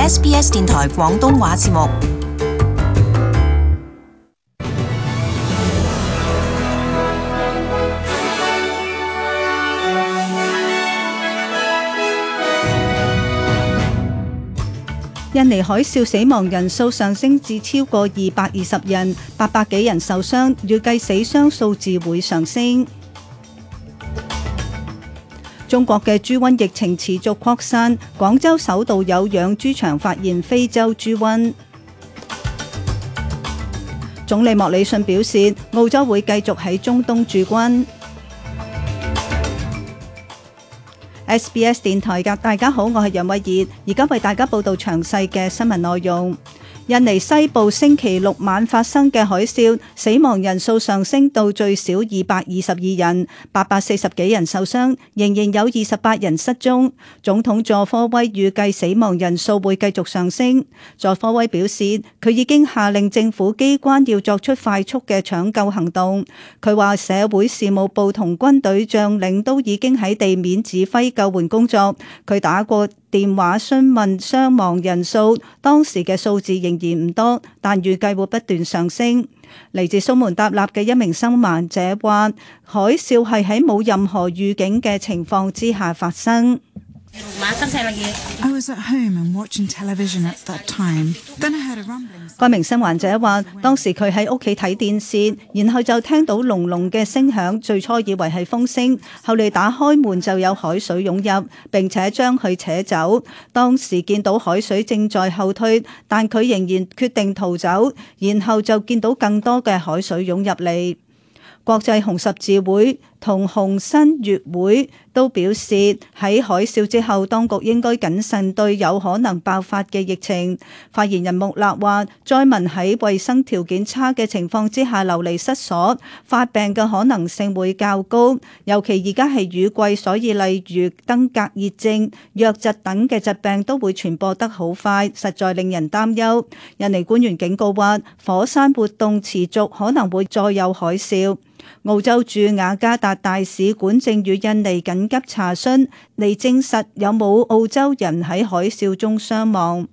SBS 電台廣東話節目。印尼海嘯死亡人數上升至超過220人，800幾人受傷，預計死傷數字會上升。中國嘅豬瘟疫情持續擴散，廣州首度有養豬場發現非洲豬瘟。總理莫里遜表示，澳洲會繼續喺中東駐軍。SBS 電台嘅大家好，我係楊慧儀，而家為大家報道詳細嘅新聞內容。印尼西部星期六晚發生嘅海嘯，死亡人數上升到最少222人，840幾人受傷，仍然有28人失蹤。總統佐科威預計死亡人數會繼續上升。佐科威表示，佢已經下令政府機關要作出快速嘅搶救行動。佢話社會事務部同軍隊將領都已經喺地面指揮救援工作。佢打過電話詢問傷亡人數，當時嘅數字仍然唔多，但預計會不斷上升。嚟自蘇門答臘嘅一名生還者話，海嘯係喺冇任何預警嘅情況之下發生。該名生還者話，當時佢喺屋企睇電視，然後就聽到隆隆嘅聲響，最初以為係風聲，後嚟打開門就有海水湧入，並且將佢扯走。當時見到海水正在後退，但佢仍然決定逃走，然後就見到更多嘅海水湧入嚟。國際紅十字會同紅新月會都表示，喺海嘯之後，當局應該謹慎對有可能爆發嘅疫情。發言人穆勒話，災民喺衛生條件差嘅情況之下流離失所，發病嘅可能性會較高。尤其而家係雨季，所以例如登革熱症、瘧疾等嘅疾病都會傳播得好快，實在令人擔憂。印尼官員警告話，火山活動持續，可能會再有海嘯。澳洲駐雅加達大使館正與印尼緊急查詢，嚟證實有冇澳洲人喺海嘯中傷亡。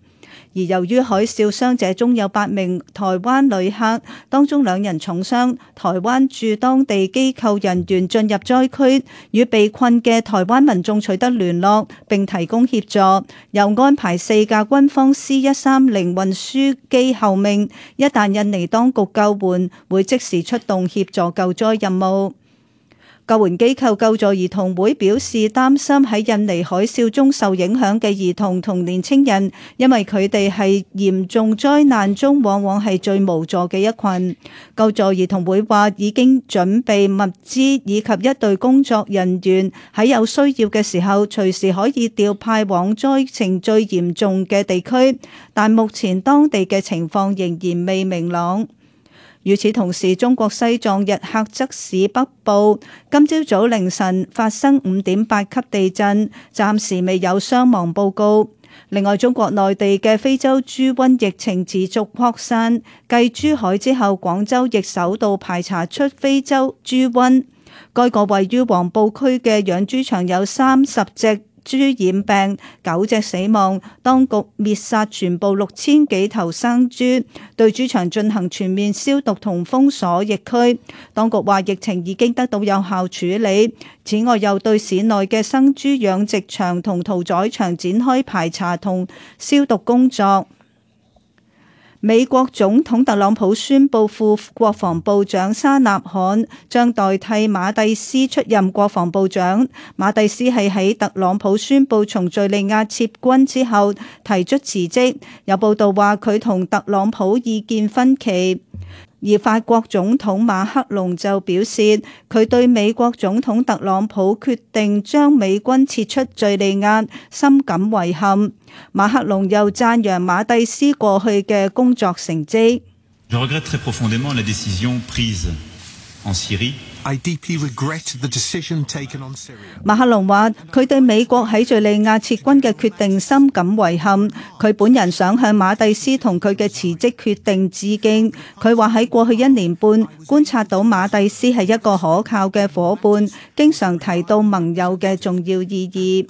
而由於海嘯，傷者中有8名台灣旅客，當中2人重傷。台灣駐當地機構人員進入災區，與被困嘅台灣民眾取得聯絡，並提供協助。又安排4架軍方 C-130運輸機候命，一旦印尼當局救援，會即時出動協助救災任務。救援機構救助兒童會表示擔心喺印尼海嘯中受影響嘅兒童同年輕人，因為佢哋係嚴重災難中往往係最無助嘅一群。救助兒童會話已經準備物資以及一隊工作人員，喺有需要嘅時候隨時可以調派往災情最嚴重嘅地區，但目前當地嘅情況仍然未明朗。與此同時，中國西藏日喀則市北部今朝早凌晨發生5.8級地震，暫時未有傷亡報告。另外，中國內地嘅非洲豬瘟疫情持續擴散，繼珠海之後，廣州亦首度排查出非洲豬瘟。該個位於黃埔區嘅養豬場有30隻豬染病，9隻死亡，當局滅殺全部6000幾頭生豬，對豬場進行全面消毒同封鎖疫區。當局話疫情已經得到有效處理，此外又對市內嘅生豬養殖場同屠宰場展開排查同消毒工作。美國總統特朗普宣布副國防部長沙納罕將代替馬蒂斯出任國防部長。馬蒂斯係喺特朗普宣布從敘利亞撤軍之後提出辭職。有報道話佢同特朗普意見分歧。而法國總統馬克龍就表示，佢對美國總統特朗普決定將美軍撤出敘利亞深感遺憾。馬克龍又讚揚馬蒂斯過去嘅工作成績。Je regrette très profondément la décision prise en Syrie. I deeply regret the decision taken on Syria. 馬克龍話：佢對美國喺敘利亞撤軍嘅決定深感遺憾。佢本人想向馬蒂斯同佢嘅辭職決定致敬。佢話喺過去1年半觀察到馬蒂斯係一個可靠嘅夥伴，經常提到盟友嘅重要意義。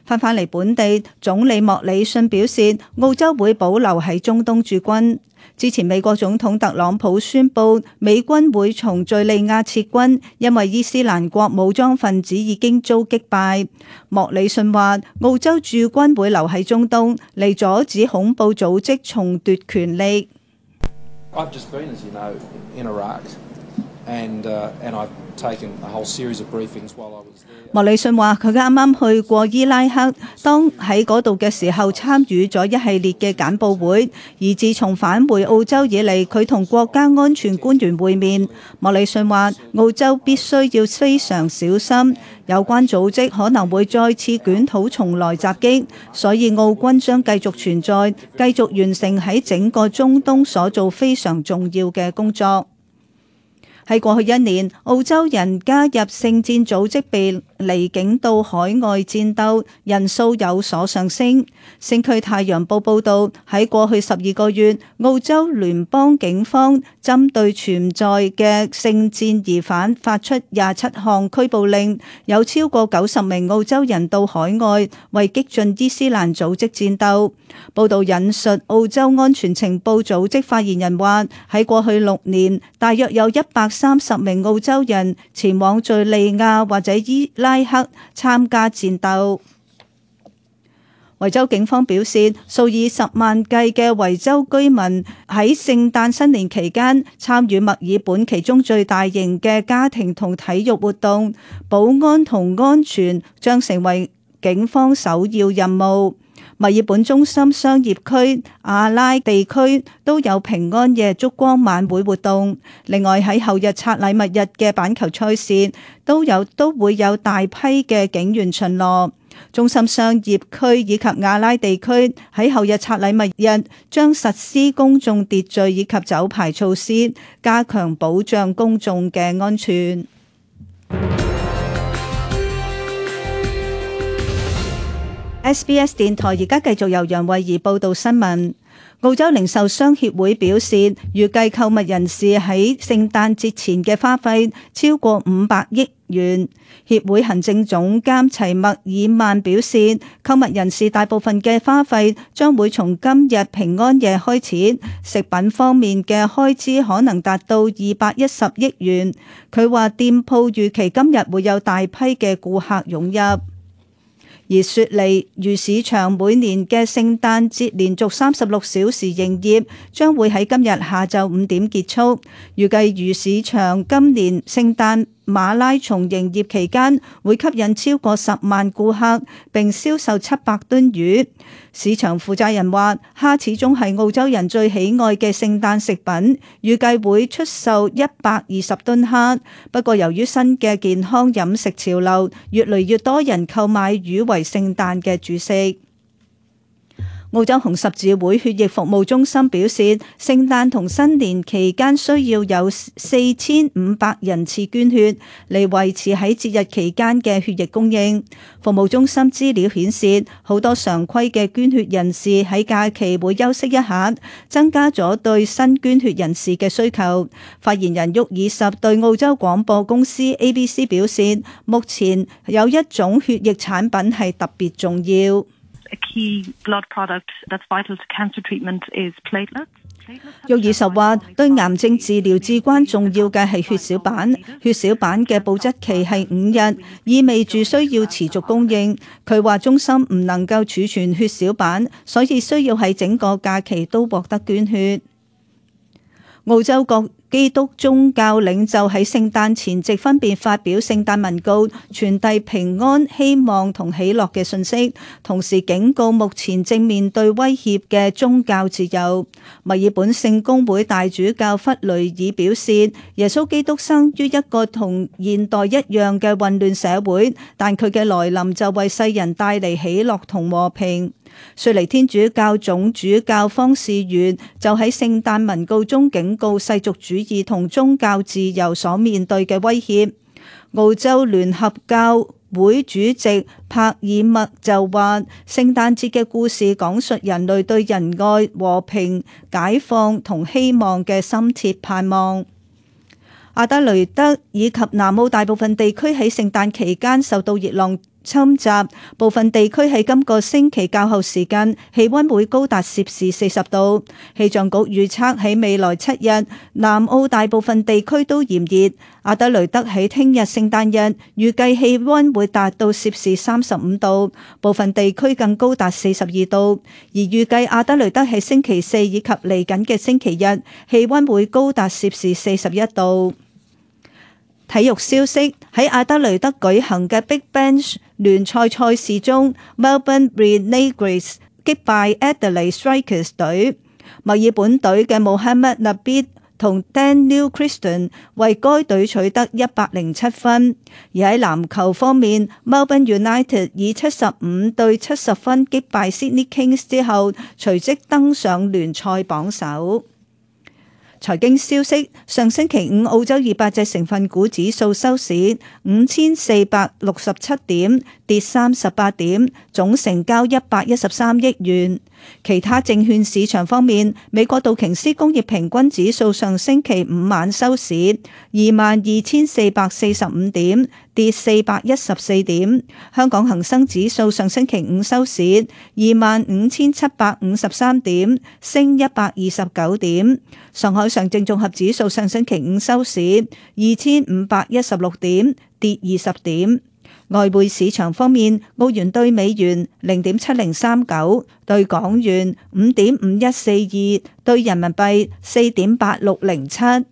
返嚟本地，總理莫里遜表示，澳洲會保留喺中東駐軍。之前美國總統特朗普宣布美軍會從敘利亞撤軍，因為伊斯蘭國武裝分子已經遭擊敗。莫里遜話，澳洲駐軍會留喺中東，嚟阻止恐怖組織重奪權力。I've just been, as you know, in Iraq, and I've taken a whole series of briefings while I was there. 莫里遜話：佢啱啱去過伊拉克，當喺嗰度嘅時候參與咗一系列嘅簡報會，而自從返回澳洲以嚟，佢同國家安全官員會面。莫里遜話：澳洲必須要非常小心，有關組織可能會再次捲土重來襲擊，所以澳軍將繼續存在，繼續完成喺整個中東所做非常重要嘅工作。喺過去一年，澳洲人加入聖戰組織被離境到海外戰鬥人數有所上升。星區太陽報報導，喺過去12個月，澳洲聯邦警方針對存在嘅聖戰疑犯發出27項拘捕令，有超過90名澳洲人到海外為激進伊斯蘭組織戰鬥。報導引述澳洲安全情報組織發言人話：喺過去6年，大約有130名澳洲人前往敘利亞或者伊拉克參加戰鬥。維州警方表示，數以10萬計嘅維州居民喺聖誕新年期間參與墨爾本其中最大型嘅家庭同體育活動，保安同安全將成為警方首要任務。墨爾本中心商業區、亞拉地區都有平安夜燭光晚會活動。另外喺後日拆禮物日嘅板球賽事都會有大批嘅警員巡邏。中心商業區以及亞拉地區喺後日拆禮物日將實施公眾秩序以及酒牌措施，加強保障公眾嘅安全。SBS 電台而家繼續由楊慧儀報道新聞。澳洲零售商協會表示，預計購物人士喺聖誕節前嘅花費超過500億元。協會行政總監齊默爾曼表示，購物人士大部分嘅花費將會從今日平安夜開始，食品方面嘅開支可能達到210億元。佢話店鋪預期今日會有大批嘅顧客湧入。而雪梨魚市場每年嘅聖誕節連續36小時營業，將會喺今日下晝5點結束。預計魚市場今年聖誕馬拉松營業期間會吸引超過10萬顧客，並銷售700噸魚。市場負責人話，蝦始終係澳洲人最喜愛嘅聖誕食品，預計會出售120噸蝦。不過由於新嘅健康飲食潮流，越嚟越多人購買魚為聖誕嘅主食。澳洲紅十字會血液服務中心表示，聖誕同新年期間需要有4500人次捐血嚟維持喺節日期間嘅血液供應。服務中心資料顯示，好多常規嘅捐血人士喺假期會休息一下，增加咗對新捐血人士嘅需求。發言人沃爾什對澳洲廣播公司 ABC 表示，目前有一種血液產品係特別重要。A key blood product that's vital to cancer treatment is platelets. 沃爾什話，對癌症治療至關重要嘅係血小板。血小板嘅保質期係5日，意味住需要持續供應。佢話中心唔能夠儲存血小板，所以需要喺整個假期都獲得捐血。澳洲各基督宗教領袖喺聖誕前夕分別發表聖誕文告，傳遞平安、希望同喜樂嘅信息，同時警告目前正面對威脅嘅宗教自由。墨爾本聖公會大主教弗雷爾表示，耶穌基督生於一個同現代一樣嘅混亂社會，但佢嘅來臨就為世人帶嚟喜樂同和平。雪梨天主教總主教方士元就喺聖誕文告中警告世俗主義同宗教自由所面對嘅威脅。澳洲聯合教會主席帕爾默就話，聖誕節嘅故事講述人類對仁愛、和平、解放同希望嘅深切盼望。阿德雷德以及南澳大部分地區喺聖誕期間受到熱浪侵襲，部分地區喺今個星期較後時間氣溫會高達攝氏40度。氣象局預測喺未來7日，南澳大部分地區都炎熱。阿德雷德喺聽日聖誕日預計氣溫會達到攝氏35度，部分地區更高達42度。而預計阿德雷德喺星期4以及嚟緊嘅星期日，氣溫會高達攝氏41度。體育消息，喺阿德雷德舉行嘅 Big Bash 聯賽賽事中 ，Melbourne Renegades 擊敗 Adelaide Strikers 隊。墨爾本隊嘅 Mohamed Nabi同 Daniel Christian 為該隊取得107分。而喺籃球方面 ，Melbourne United 以75-70分擊敗 Sydney Kings 之後，隨即登上聯賽榜首。財經消息，上星期五澳洲200隻成分股指數收市5467點，跌38點，總成交113億元。其他證券市場方面，美國道瓊斯工業平均指數上星期五晚收市22,445點，跌414點。香港恒生指數上星期五收市25,753點，升129點。上海上證綜合指數上星期五收市2,516點，跌20點。外匯市場方面，澳元兌美元0.7039，兌港元5.5142，兌人民幣4.8607。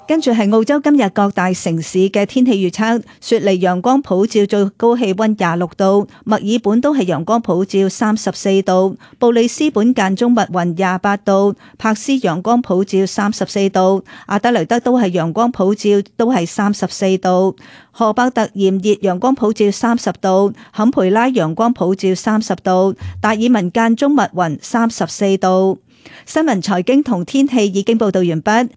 跟住係澳洲今日各大城市嘅天氣預測：雪梨陽光普照，最高氣溫26度；墨爾本都係陽光普照34度；布里斯本間中密雲28度；柏斯陽光普照34度；阿德雷德都係陽光普照，都係34度；荷伯特炎熱陽光普照30度；坎培拉陽光普照30度；達爾文間中密雲34度。新聞、財經同天氣已經報道完畢。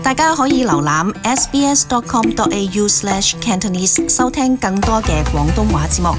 大家可以瀏覽 sbs.com.au/cantonese 收聽更多嘅廣東話節目。